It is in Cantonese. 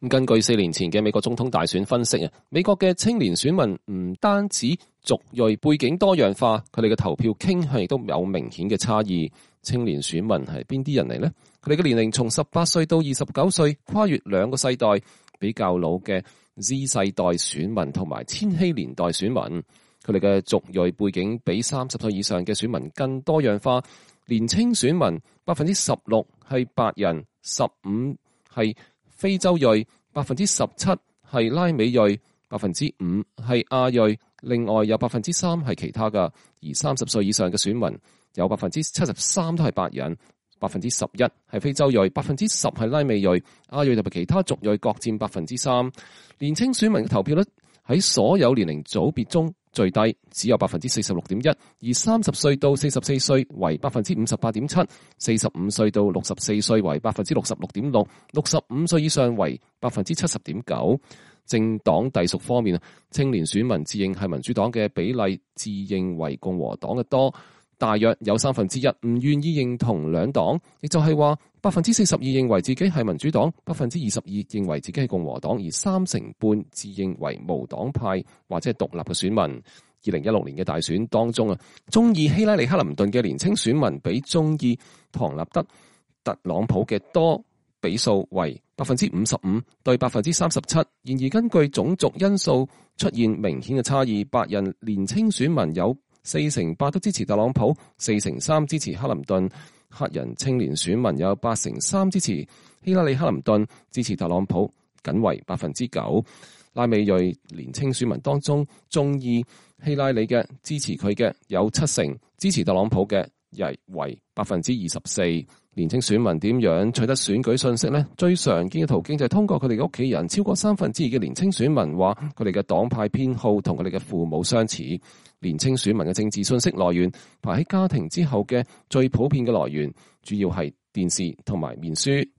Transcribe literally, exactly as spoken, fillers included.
根據四年前嘅美國總統大選分析啊，美國嘅青年選民唔單止族裔背景多樣化，佢哋嘅投票傾向亦都有明顯嘅差異。青年選民係邊啲人嚟呢？佢哋嘅年齡從十八歲到二十九歲，跨越兩個世代，比較老嘅 Z 世代選民同埋千禧年代選民，佢哋嘅族裔背景比三十歲以上嘅選民更多樣化。年青選民百分之十六係白人，十五係非洲裔，百分之十七係拉美裔，百分之五係亞裔，另外有百分之三係其他噶。而三十歲以上嘅選民有百分之七十三都係白人，百分之十一係非洲裔，百分之十係拉美裔，亞裔同埋其他族裔各佔百分之三。年青選民嘅投票率喺所有年齡組別中最低，只有百分之四十六點一，而三十歲到四十四歲為百分之五十八點七，四十五歲到六十四歲為百分之六十六點六，六十五歲以上為百分之七十點九。政黨隸屬方面，青年選民自認係民主黨嘅比例，自認為共和黨嘅多，大約有三分之一唔願意認同兩黨，亦就係話百分之四十二認為自己係民主黨，百分之二十二認為自己係共和黨，而三成半自認為無黨派或者係獨立嘅選民。二零一六年嘅大選當中啊，中意希拉里克林頓嘅年青選民比中意唐納德特朗普嘅多，比數為百分之五十五對百分之三十七。然而根據種族因素出現明顯嘅差異，白人年青選民有四成八都支持特朗普，四成三支持克林頓；黑人青年選民有八成三支持希拉里克林頓，支持特朗普僅為百分之九。拉美裔年青選民當中，中意希拉里嘅支持佢嘅有七成，支持特朗普嘅亦為百分之二十四。年青選民點樣取得選舉信息呢？最常見嘅途徑就係通過佢哋嘅屋企人。超過三分之二嘅年青選民話佢哋嘅黨派偏好同佢哋嘅父母相似。年青選民嘅政治信息來源排喺家庭之後嘅最普遍嘅來源，主要係電視同埋面書。